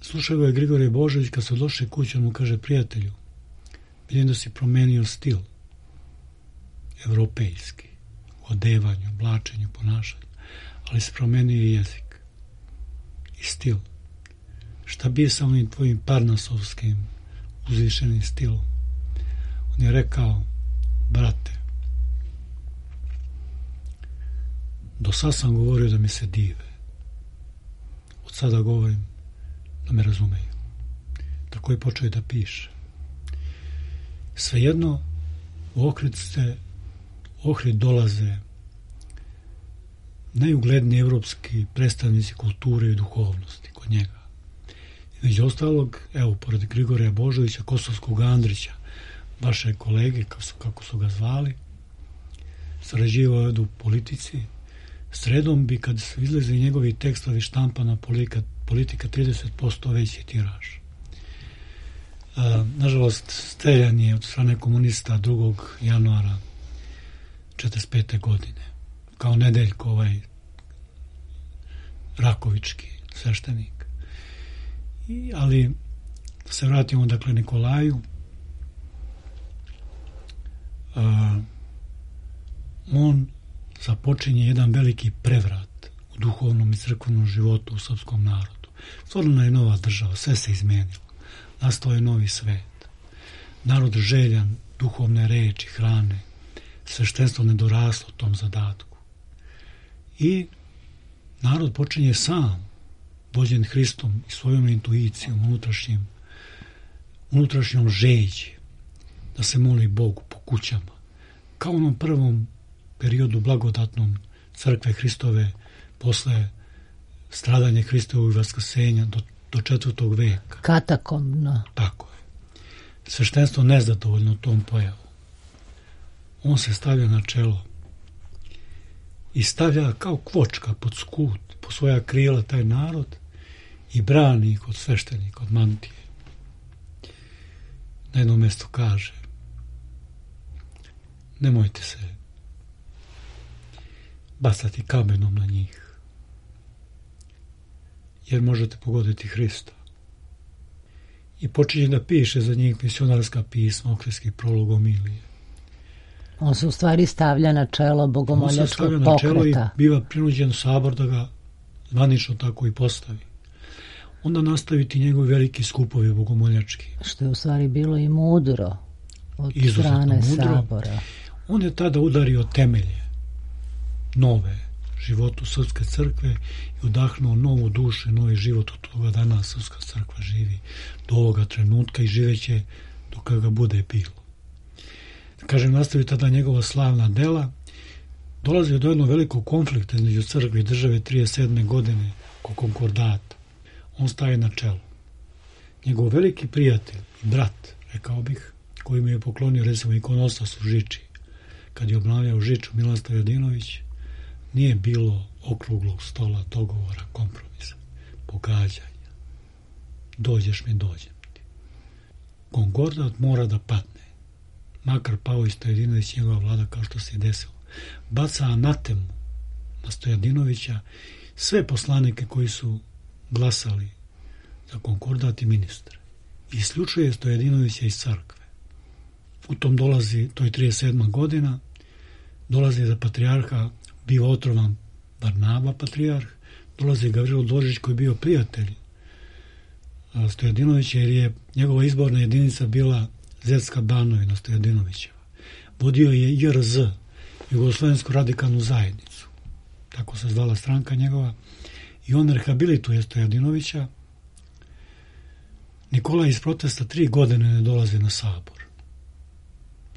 D: Slušao ga je Grigorije Božović, kad se došli kući, on mu kaže: prijatelju, vidim da si promenio stil evropejski, u odevanju, oblačenju, ponašanju, ali si promenio i jezik i stil. Šta bi je sa onim tvojim parnasovskim uzvišenim stilom? On je rekao: brate, do sad sam govorio da mi se dive, od sada govorim da me razumeju. Tako je počeo da piše. Svejedno, u Ohrid ste, Ohrid dolaze najugledniji evropski predstavnici kulture i duhovnosti kod njega. Među ostalog, evo, pored Grigorija Božovića, Kosovskog Andrića, vaše kolege, kako su, kako su ga zvali, sarađivao je u politici. Sredom bi, kad izlaze njegovi tekstovi, štampana politika, politika trideset posto veći tiraž. A, nažalost, streljan je od strane komunista drugog januara četrdeset pete. godine. Kao Nedeljko, ovaj Rakovički sveštenik. I, ali, da se vratimo, dakle, Nikolaju. A, on započinje jedan veliki prevrat u duhovnom i crkvenom životu u srpskom narodu. Stvorena je nova država, sve se izmenilo. Nastao je novi svet. Narod željan duhovne reči, hrane, sveštenstvo nedoraslo tom zadatku. I narod počinje sam, vođen Hristom i svojom intuicijom, unutrašnjim, unutrašnjom žeđi, da se moli Bogu po kućama. Kao u onom prvom periodu blagodatnom crkve Hristove, posle stradanja Hristovog i vaskrsenja do, do četvrtog veka.
A: Katakombno.
D: Tako je. Sveštenstvo nezadovoljno tom pojavom. on se stavlja na čelo i stavlja kao kvočka pod skut, po svoja krila taj narod i brani ih od sveštenika, od mantije. Na jednom mjestu kaže: nemojte se bacati kamenom na njih, jer možete pogoditi Hrista. I počinje da piše za njih misionarska pisma, okreski prolog, homilije.
A: On se u stvari stavlja na čelo bogomoljačkog pokreta. On se stavlja na čelo i
D: biva prinuđen sabor da ga zvanično tako i postavi. Onda nastaviti njegovi veliki skupovi bogomoljački.
A: Što je u stvari bilo i mudro od
D: izuzetno
A: strane
D: mudro.
A: sabora.
D: On je tada udario temelje nove životu Srpske crkve i udahnuo novu dušu i novi život od toga dana Srpska crkva živi do ovoga trenutka i živeće dok ga bude bilo. Kažem, nastavi tada njegova slavna dela. Dolazi do jednog velikog konflikta između crkve i države trideset sedme godine oko konkordata. On staje na čelo. Njegov veliki prijatelj i brat, rekao bih, koji mu je poklonio recimo ikonostas u Žiči, kad je obnavljao Žiču, Milan Stojadinović, nije bilo okruglog stola, dogovora, kompromisa, pogađanja. Dođeš mi, dođem ti. Konkordat mora da padne. Makar pao i Stojadinović, njegova vlada, kao što se desilo. Baca anatemu na Stojadinovića, sve poslanike koji su glasali za konkordat i ministre. Isključuje Stojadinovića iz crkve. U tom dolazi, to je trideset sedma godina, dolazi za patrijarha, bio otrovan Barnaba patrijarh, dolazi Gavrilo Dodžić koji je bio prijatelj Stojadinovića, jer je njegova izborna jedinica bila Zetska Banovina Stojadinovićeva. Vodio je J R Z, Jugoslovensku radikalnu zajednicu, tako se zvala stranka njegova, i on rehabilituje Stojadinovića. Nikolaj iz protesta tri godine ne dolazi na sabor.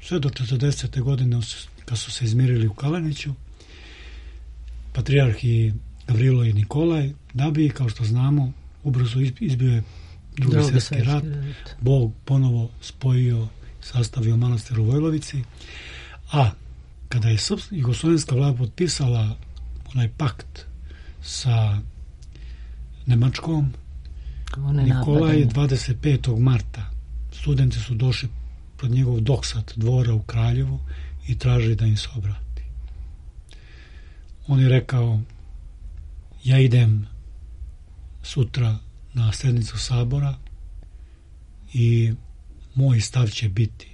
D: Sve do četrdesete godine, kad su se izmirili u Kaleniću, patrijarh i Gavrilo i Nikolaj, da bi, kao što znamo, ubrzo izbio je drugi svjetski rat, Bog ponovo spojio, sastavio manastir u Vojlovici, a kada je jugoslovenska vlada potpisala onaj pakt sa Nemačkom, Nikolaj dvadeset petog marta studenti su došli pred njegov doksat dvora u Kraljevu i tražili da im se obrati. On je rekao: ja idem sutra na sednicu sabora i moj stav će biti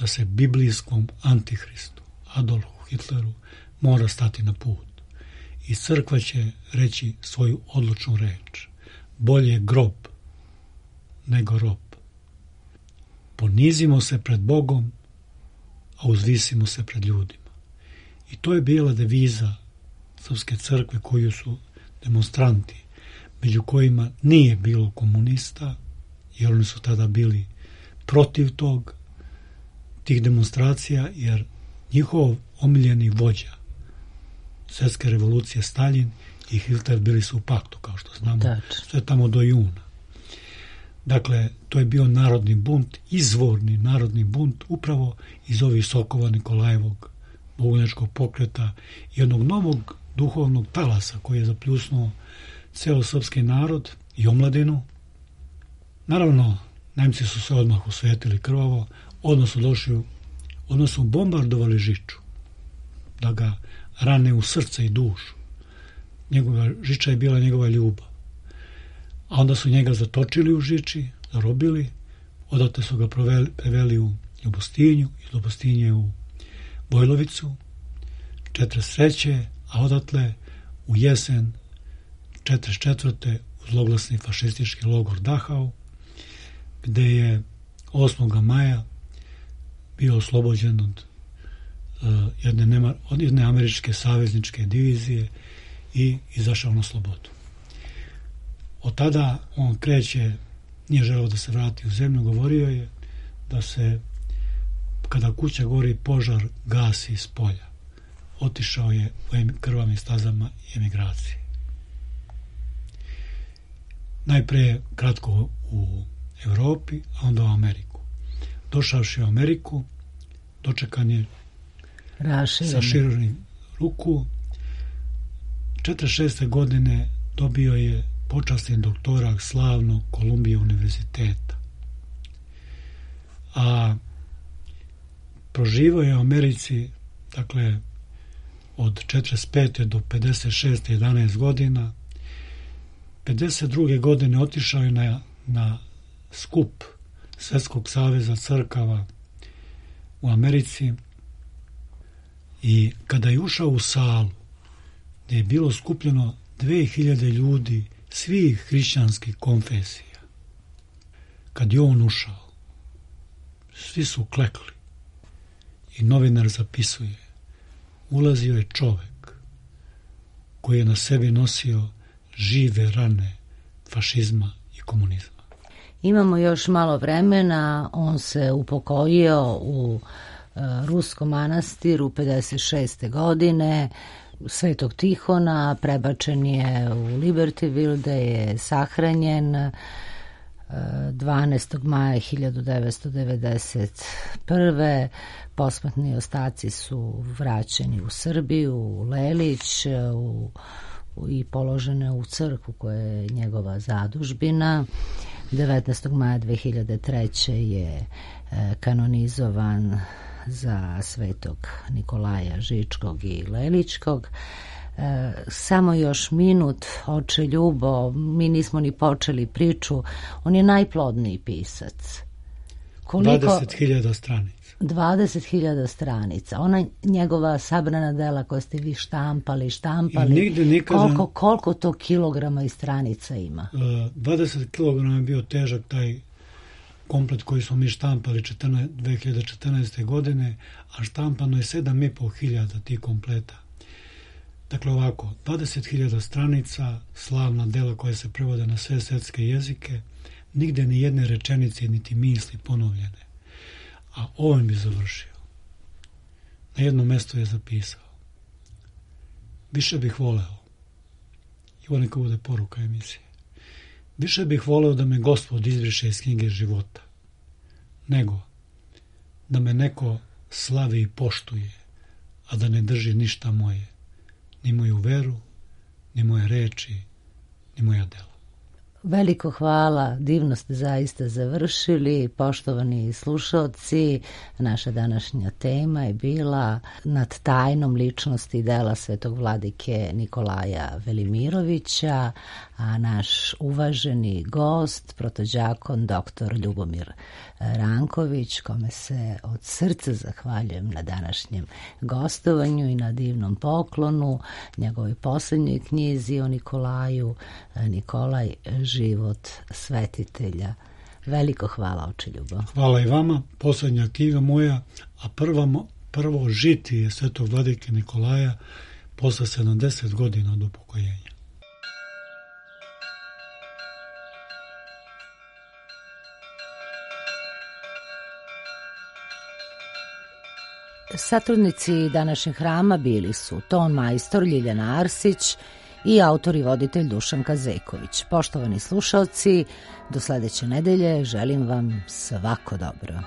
D: da se biblijskom antihristu Adolfu Hitleru mora stati na put i crkva će reći svoju odlučnu reč: bolje grob nego rob. Ponizimo se pred Bogom, a uzvisimo se pred ljudima. I to je bila deviza Srpske crkve koju su demonstranti, među kojima nije bilo komunista, jer oni su tada bili protiv tog, tih demonstracija, jer njihov omiljeni vođa svjetske revolucije Staljin i Hitler bili su u paktu, kao što znamo, sve tamo do juna. Dakle, to je bio narodni bunt, izvorni narodni bunt, upravo iz ovih sokova Nikolajevog bogomoljačkog pokreta i jednog novog duhovnog talasa koji je zapljusnuo ceo srpski narod i omladinu. Naravno, Nemci su se odmah osvetili krvavo, odmah su došli, odmah su bombardovali Žiču, da ga rane u srce i dušu. Njegova Žiča je bila njegova ljubav. A onda su njega zatočili u Žiči, zarobili, odatle su ga proveli, preveli u Ljubostinju, iz Ljubostinje u Vojlovicu, četrdeset treće a odatle u jesen četrdeset četvrte u zloglasni fašistički logor Dachau, gde je osmog maja bio oslobođen od, uh, jedne, nema, od jedne američke savezničke divizije i izašao na slobodu. Od tada on kreće, nije želeo da se vrati u zemlju, govorio je da se, kada kuća gori, požar gasi iz polja. Otišao je u krvavim stazama emigracije. Najpre kratko u Evropi, a onda u Ameriku. Došavši u Ameriku, dočekan je
A: Rašireni.
D: sa širenim ruku. četrdeset šeste. godine dobio je počasni doktorat slavnog Kolumbija univerziteta. A proživao je u Americi, dakle, od četrdeset pete do pedeset šeste. jedanaest godina. pedeset druge. godine otišao je na, na skup Svetskog saveza crkava u Americi i kada je ušao u salu gdje je bilo skupljeno dve hiljade ljudi svih hrišćanskih konfesija, kad je on ušao, svi su klekli i novinar zapisuje: ulazio je čovek koji je na sebi nosio žive rane fašizma i komunizma.
A: Imamo još malo vremena, on se upokojio u e, Ruskom manastiru pedeset šeste. godine, Svetog Tihona, prebačen je u Libertyville, gde je sahranjen e, dvanaestog maja hiljadu devetsto devedeset prve. Posmrtni ostaci su vraćeni u Srbiju, u Lelić, u, u, i položene u crkvu koja je njegova zadužbina. devetnaestog maja dve hiljade treće. je e, kanonizovan za Svetog Nikolaja Žičkog i Leličkog. E, samo još minut, oče Ljubo, mi nismo ni počeli priču. On je najplodniji pisac. Koliko?
D: dvadeset hiljada stranica.
A: dvadeset hiljada stranica. Ona njegova sabrana dela koja ste vi štampali, štampali,
D: nikada,
A: koliko, koliko to kilograma i stranica ima?
D: dvadeset kilograma je bio težak taj komplet koji smo mi štampali dve hiljade četrnaeste. godine, a štampano je sedam i po hiljada tih kompleta. Dakle ovako, dvadeset hiljada stranica, slavna dela koja se prevode na sve svetske jezike, nigde ni jedne rečenice niti misli ponovljene. A ovim bi završio. Na jednom mjestu je zapisao: više bih voleo, i ovo neka bude poruka emisije, više bih voleo da me Gospod izbriše iz knjige života, nego da me neko slavi i poštuje, a da ne drži ništa moje, ni moju veru, ni moje reči, ni moja dela.
A: Veliko hvala, divno ste zaista završili. Poštovani slušalci, naša današnja tema je bila nad tajnom ličnosti dela svetog vladike Nikolaja Velimirovića, a naš uvaženi gost, protođakon doktor Ljubomir Ranković, kome se od srca zahvaljujem na današnjem gostovanju i na divnom poklonu, njegovoj posljednjoj knjizi o Nikolaju, Nikolaj, život svetitelja. Veliko hvala, oče Ljubo.
D: Hvala i vama. Posljednja knjiga moja, a prva, prvo žitije svetog vladike Nikolaja posle sedamdeset godina od upokojenja.
A: Satrudnici današnjeg hrama bili su ton majstor Ljiljana Arsić i autor i voditelj Dušan Kazeković. Poštovani slušalci, do sledeće nedelje želim vam svako dobro.